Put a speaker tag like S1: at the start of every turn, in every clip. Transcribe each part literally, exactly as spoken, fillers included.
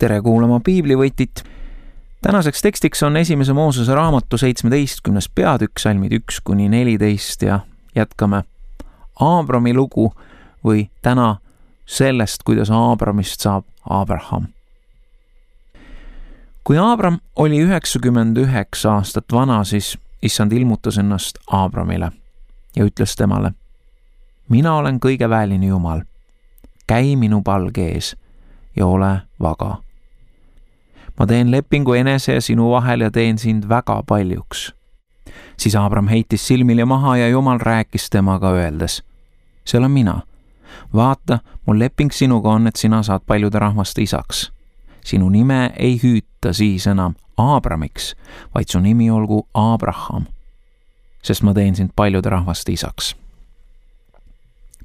S1: tere kuulama piiblivõtit. Tänaseks tekstiks on esimese Moosese raamatu seitsmeteistkümnes peatükk, salmid üks kuni neliteist ja jätkame Aabrami lugu või täna sellest, kuidas Aabramist saab Abraham. Kui Aabram oli üheksakümmend üheksa aastat vana, siis issand ilmutas ennast Aabramile ja ütles temale: mina olen kõige väelini Jumal, käi minu palge ees ja ole vaga. Ma teen lepingu enese ja sinu vahel ja teen sind väga paljuks. Siis Aabram heitis silmile maha ja Jumal rääkis temaga öeldes: see olen mina. Vaata, mul leping sinuga on, et sina saad paljude rahvaste isaks. Sinu nime ei hüüta siis enam Aabramiks, vaid su nimi olgu Abraham, sest ma teen sind paljude rahvaste isaks.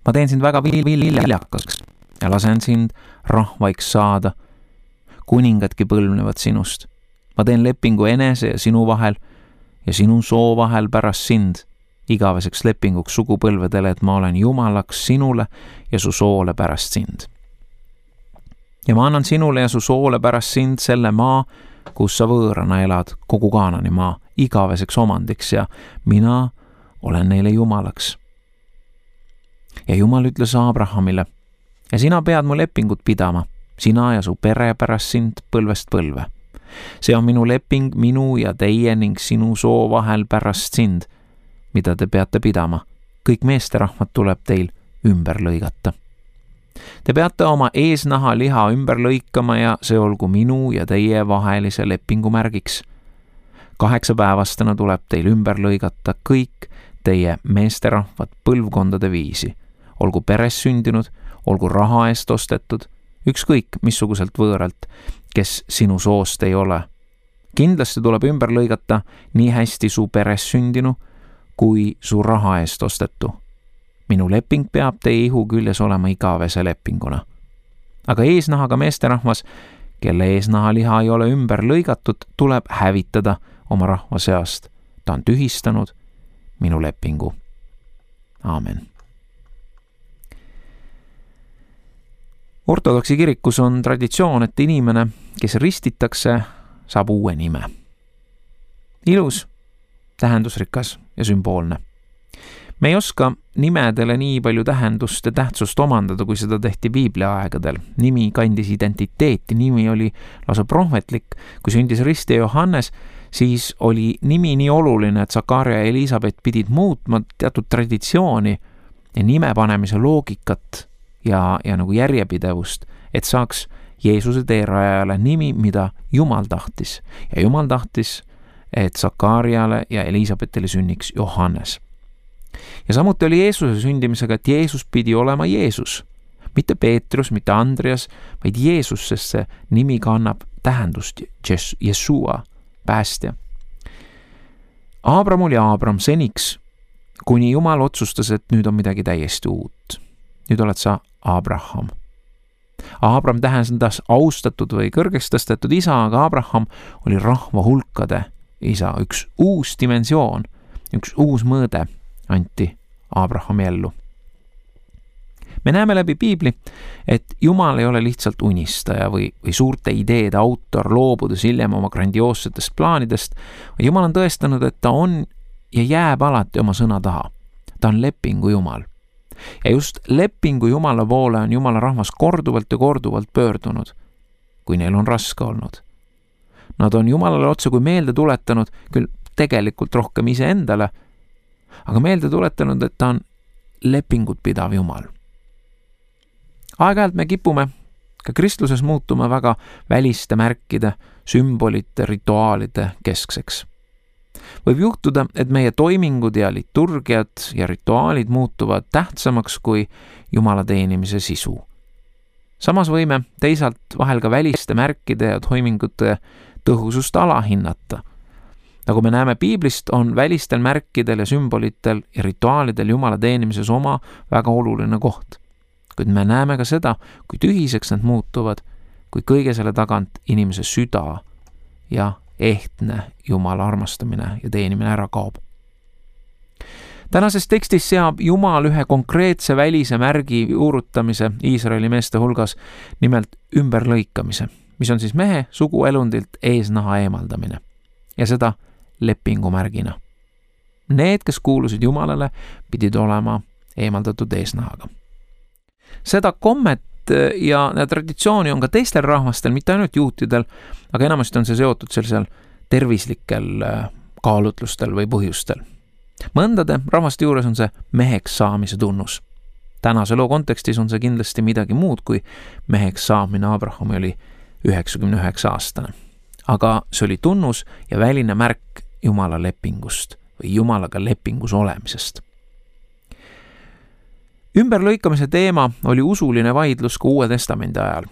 S1: Ma teen sind väga viljakaks ja lasen sind rahvaiks saada. Kuningadki põlvnevad sinust. Ma teen lepingu enese ja sinu vahel ja sinu soo vahel pärast sind, igaveseks lepinguks sugupõlvedele, et ma olen Jumalaks sinule ja su soole pärast sind. Ja ma annan sinule ja su soole pärast sind selle maa, kus sa võõrana elad, kogu Kaanani maa, igaveseks omandiks ja mina olen neile Jumalaks. Ja Jumal ütles Abrahamile: ja sina pead mu lepingut pidama, sina ja su pere pärast sind põlvest põlve. See on minu leping minu ja teie ning sinu soo vahel pärast sind, mida te peate pidama. Kõik meesterahvad tuleb teil ümber lõigata. Te peate oma eesnaha liha ümber lõikama ja see olgu minu ja teie vahelise lepingu märgiks. Kaheksapäevastena tuleb teil ümber lõigata kõik teie meesterahvad põlvkondade viisi, olgu peres sündinud, olgu raha eest ostetud, ükskõik missuguselt võõralt, kes sinu soost ei ole. Kindlasti tuleb ümber lõigata nii hästi su peres sündinu kui su raha eest ostetu. Minu leping peab teie ihu küljes olema igavese lepinguna. Aga eesnahaga meesterahvas, kelle eesnaha liha ei ole ümber lõigatud, tuleb hävitada oma rahva seast. Ta on tühistanud minu lepingu. Aamen. Ortodoksi kirikus on traditsioon, et inimene, kes ristitakse, saab uue nime. Ilus, tähendusrikas ja sümboolne. Me ei oska nimedele nii palju tähendust ja tähtsust omandada, kui seda tehti Piiblia aegadel. Nimi kandis identiteeti, nimi oli lausa prohvetlik. Kui sündis ristija Johannes, siis oli nimi nii oluline, et Zakaria ja Elisabet pidid muutma teatud traditsiooni ja nime panemise loogikat ja, ja nagu järjepidevust, et saaks Jeesuse teerajale nimi, mida Jumal tahtis. Ja Jumal tahtis, et Zakariale ja Elisabetile sünniks Johannes. Ja samuti oli Jeesuse sündimisega, et Jeesus pidi olema Jeesus. Mitte Peetrus, mitte Andreas, vaid Jeesus, sest see nimi kannab tähendust Jesua, päästja. Aabram oli Aabram seniks, kuni Jumal otsustas, et nüüd on midagi täiesti uut. Nüüd oled sa Abraham. Aabram tähendas austatud või kõrgeks tõstetud isa, aga Abraham oli rahva hulkade isa. Üks uus dimensioon, üks uus mõõde anti Abrahami ellu. Me näeme läbi Piibli, et Jumal ei ole lihtsalt unistaja või, või suurte ideede autor, loobudes hiljem oma grandioossetest plaanidest. Jumal on tõestanud, et ta on ja jääb alati oma sõna taha. Ta on lepingu Jumal. Ja just lepingu Jumala poole on Jumala rahvas korduvalt ja korduvalt pöördunud, kui neil on raske olnud. Nad on Jumalale otse kui meelde tuletanud, küll tegelikult rohkem ise endale, aga meelde tuletanud, et ta on lepingut pidav Jumal. Aeg-ajalt me kipume ka kristluses muutuma väga väliste märkide, sümbolite, rituaalide keskseks. Võib juhtuda, et meie toimingud ja liturgiad ja rituaalid muutuvad tähtsamaks kui Jumala teenimise sisu. Samas võime teisalt vahel ka väliste märkide ja toimingute tõhusust alahinnata. Nagu me näeme Piiblist, on välistel märkidel ja sümbolitel ja rituaalidel Jumala teenimises oma väga oluline koht. Kuid me näeme ka seda, kui tühiseks need muutuvad, kui kõige selle tagant inimese süda ja ehtne Jumala armastamine ja teenimine ära kaob. Tänases tekstis seab Jumal ühe konkreetse välise märgi juurutamise Iisraeli meeste hulgas, nimelt ümberlõikamise. mis on siis mehe suguelundilt eesnaha eemaldamine ja seda lepingumärgina. Need, kes kuulusid Jumalale, pidid olema eemaldatud eesnahaga. Seda kommet ja, ja traditsiooni on ka teistel rahvastel, mitte ainult juutidel, aga enamasti on see seotud sellisel tervislikel kaalutlustel või põhjustel. Mõndade rahvaste juures on see meheks saamise tunnus. Tänase loo kontekstis on see kindlasti midagi muud, kui meheks saamine Abrahami oli üheksakümne üheksa aastane. Aga see oli tunnus ja väline märk Jumala lepingust või Jumalaga lepingus olemisest. Ümberlõikamise teema oli usuline vaidlus ka Uue Testamendi ajal.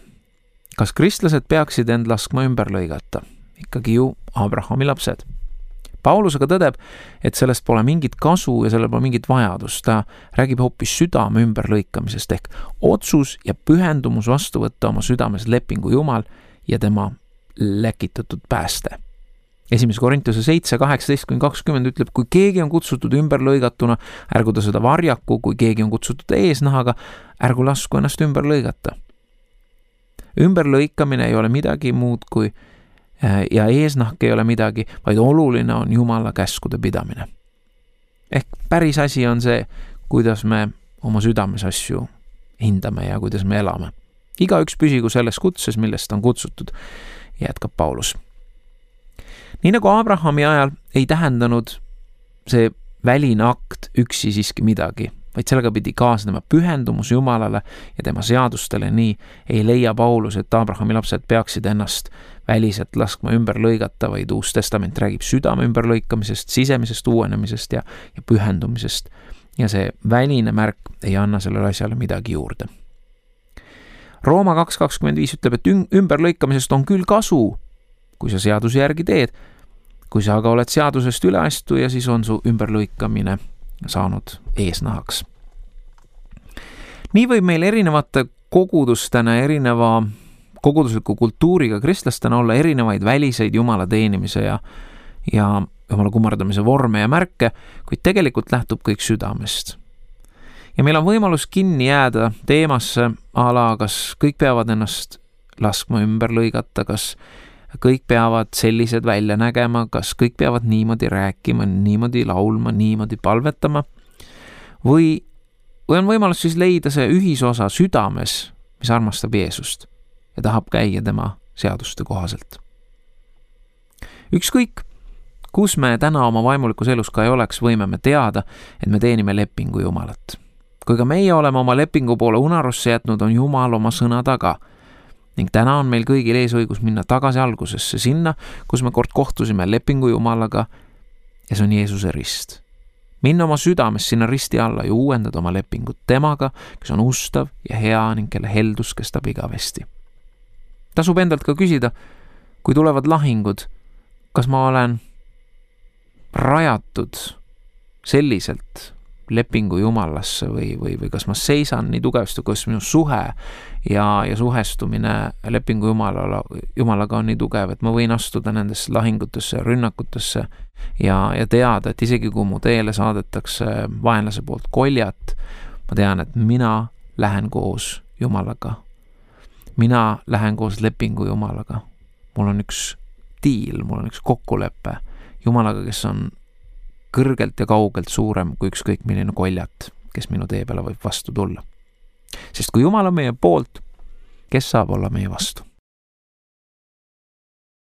S1: Kas kristlased peaksid end laskma ümber lõigata? Ikkagi ju Abrahami lapsed. Paulus aga tõdeb, et sellest pole mingit kasu ja sellel pole mingit vajadust. Ta räägib hoopis südame ümberlõikamisest ehk otsus ja pühendumus vastu võtta oma südames lepingu Jumal ja tema läkitatud pääste. Esimese Korintuse seitse, kaheksateist kuni kakskümmend ütleb, kui keegi on kutsutud ümber lõigatuna, ärgu ta seda varjaku, kui keegi on kutsutud eesnahaga, ärgu lasku ennast ümber lõigata. Ümberlõikamine ei ole midagi muud kui ja eesnahk ei ole midagi, vaid oluline on Jumala käskude pidamine. Ehk päris asi on see, kuidas me oma südames asju hindame ja kuidas me elame. Igaüks püsigu selles kutses, millest on kutsutud, jätkab Paulus. Nii nagu Abrahami ajal ei tähendanud see väline akt üksi siiski midagi, vaid sellega pidi kaasnema pühendumus Jumalale ja tema seadustele, nii ei leia Paulus, et Abrahami lapsed peaksid ennast väliselt laskma ümber lõigata, vaid Uus Testament räägib südame ümberlõikamisest, sisemisest uuenemisest ja, ja pühendumisest. Ja see väline märk ei anna sellele asjale midagi juurde. Rooma kaks kakskümmend viis ütleb, et ümberlõikamisest on küll kasu, kui sa seaduse järgi teed. Kui sa aga oled seadusest üleastuja, siis on su ümberlõikamine saanud eesnahaks. Nii võib meil erinevate kogudustena, erineva kogudusliku kultuuriga kristlastena olla erinevaid väliseid Jumala teenimise ja, ja Jumala kummardamise vorme ja märke, kuid tegelikult lähtub kõik südamest. Ja meil on võimalus kinni jääda teemasse ala, kas kõik peavad ennast laskma ümber lõigata, kas kõik peavad sellised välja nägema, kas kõik peavad niimoodi rääkima, niimoodi laulma, niimoodi palvetama, või, või on võimalus siis leida see ühisosa südames, mis armastab Jeesust ja tahab käia tema seaduste kohaselt. Ükskõik, kus me täna oma vaimulikus elus ka ei oleks, võime me teada, et me teenime lepingu Jumalat. Kui ka meie oleme oma lepingu poole unarusse jätnud, on Jumal oma sõna taga. Ning täna on meil kõigil ees õigus minna tagasi algusesse sinna, kus me kord kohtusime lepingu Jumalaga ja see on Jeesuse rist. Minna oma südames sinna risti alla ja uuendada oma lepingut temaga, kes on ustav ja hea ning kelle heldus kestab igavesti. Tasub endalt ka küsida, kui tulevad lahingud, kas ma olen rajatud selliselt lepingu Jumalasse või, või, või kas ma seisan nii tugevasti, kus minu suhe ja, ja suhestumine lepingu Jumala, Jumalaga on nii tugev, et ma võin astuda nendesse lahingutesse ja rünnakutesse ja, ja teada, et isegi kui mu teele saadetakse vaenlase poolt koljat, ma tean, et mina lähen koos Jumalaga. Mina lähen koos lepingu Jumalaga. Mul on üks diil, mul on üks kokkulepe Jumalaga, kes on kõrgelt ja kaugelt suurem kui ükskõik milline koljat, kes minu tee peale võib vastu tulla. Sest kui Jumal on meie poolt, kes saab olla meie vastu?